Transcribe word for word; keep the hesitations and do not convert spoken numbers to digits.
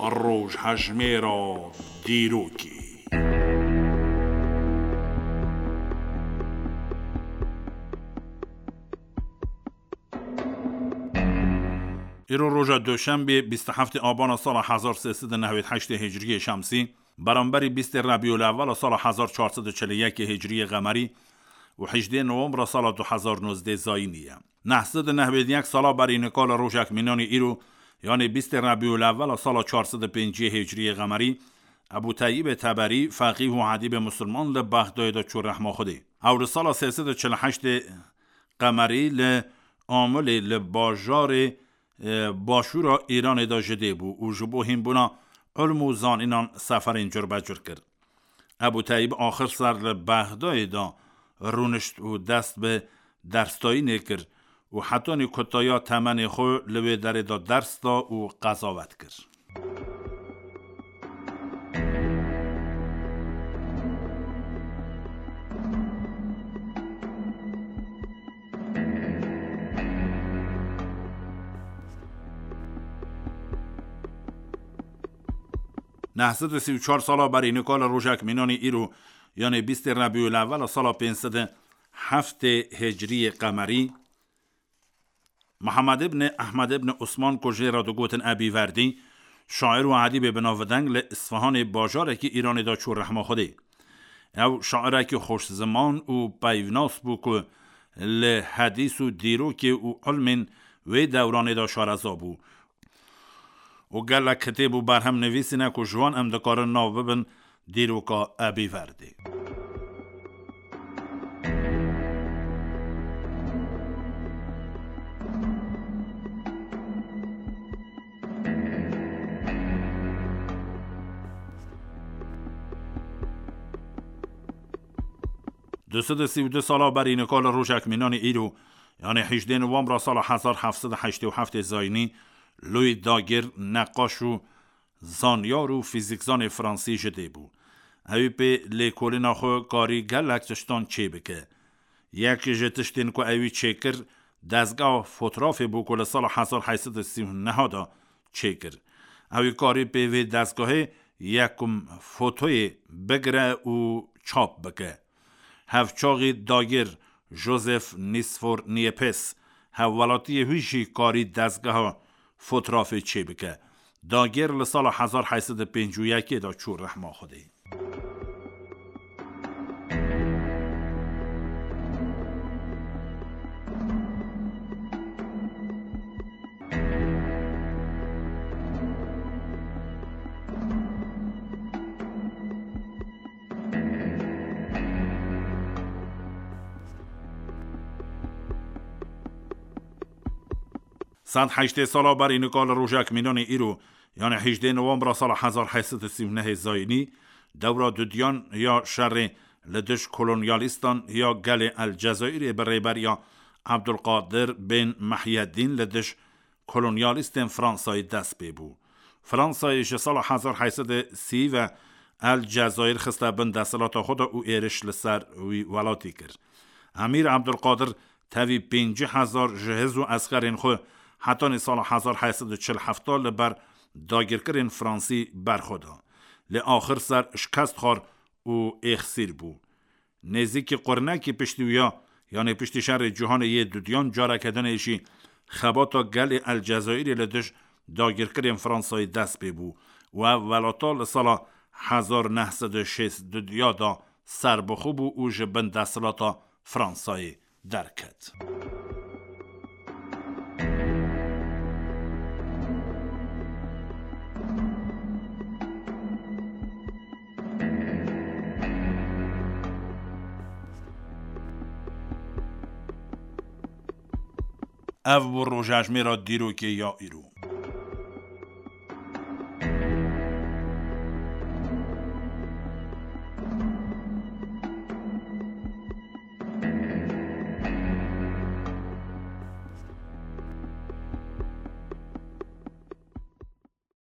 Rojhejmêra dîrokê. Îro roja Doşembê, bîst û heftê Abana sala hezar sê sed û newêd heştê Hicriyê Şemsî, beramberî bîstê Rebîul Ewwela sala hezar çar sed û çil û yekê Hicriyê Qemerî û hejdê Nowembra sala du hezar nozdeh Zayînî ye. Neh sed û newêd yek sala berî nika li rojek mînanî îro, yanê bîstê Rebîul Ewwela sala çar sed û pêncî Hicriyê Qemerî, Ebû Teyyîbê Teberî, feqîh û edîbê musulman li Bexdayê de çû rehma Xwedê. Ew li sala sê sed û çil û heştê Qemerî li Amilê li bajarê, e, başûra Îranê de ji dê bû û ji bo hînbûna ilm û zanînan seferên curbecur kir. Ebû Teyyîb axir ser li Bexdayê de rûnişt û dest bi dersdayînê kir û hetanî kutaya temenê xwe li wê derê de ders da û qezawet kir. Neh sed û sî û çar sala berî nika li rojek mînanî îro, yanê bîstê Rebîul Ewwela sala pênc sed û heftê Hicriyê Qemerî, Mihemed ibn Ehmed ibn Osman ku jê re digotin Ebî Verdî, şair û edîbê binavdeng li Isfahanê bajarekî Îranê de çû rehma Xwedê. Ew şairekî xweşziman û peyvnas bû ku li hedîs û dîrokê û ilmên wê dewranê de şareza bû û gelek kitêb û berhem nivîsîne ku ji wan em dikarin nav bibin dîroka Ebî Verdê. Du sed û sî û du sala berî nika li rojek mînanî îro, yanê hejdê Nowembra sala hezar heft sed û heştê û heftê Zayînî, Louis Daguerre, neqaş û zanyar û fîzîkzanê fransî ji dê bû. Ewî pê lêkolîna xwe karî gelek tiştan çêbike. Yek ji tiştên ku ewî çêkir, dezgeha fotrafê bû ku li sala hezar heyt sed û sî û neh de çêkir. Ewî karî pê vê dezgehê yekum fotoyê bigire û çap bike. Hevçaxî Daguerre, Joseph Nicephore Niepce, hevwelatiyê wî jî karî dezgeha fotrafê çêbike. Daguerre li sala hezar heyt sed û pêncî û yekê de çû rehma Xwedê. Sed heştê sala berî nika li rojek mînanê îro, yanê hejdê Nowembra sala hezar heyt sed û sî û nehê Zayînî, dewra dudiyan ya şerê li dij kolonyalîstan ya gelê El Cezayirê bi rêberiya Abdulkadir bin Mehyedîn li dij kolonyalîstên Fransayê dest pê bû. Fransayê ji sala hezar heyt sed û sî ve El Cezayir xiste bin desthilata xwe de û êriş li ser wî welatî kir. Emîr Abdulkadir tevî pêncî hezar ji hêz û eskerên xwe hetanî sala hezar heyt sed û çil heft li ber dagirkirên fransî berxwe da. Lê axir ser şikest xwar û êxsîr bû. Nêzîkî qurnekî piştî wî ya, yanê piştî şerê cîhanê yê dudiyan, careke dinê jî xebata gelê El Cezayirê li dij dagirkirên Fransayê dest pê bû û ev welata li sala hezar neh sed û şêst dudiya de serbixwe bû û ji bin desthilata Fransayê derket. Ev bû rojejmêra dîrokê ya îro.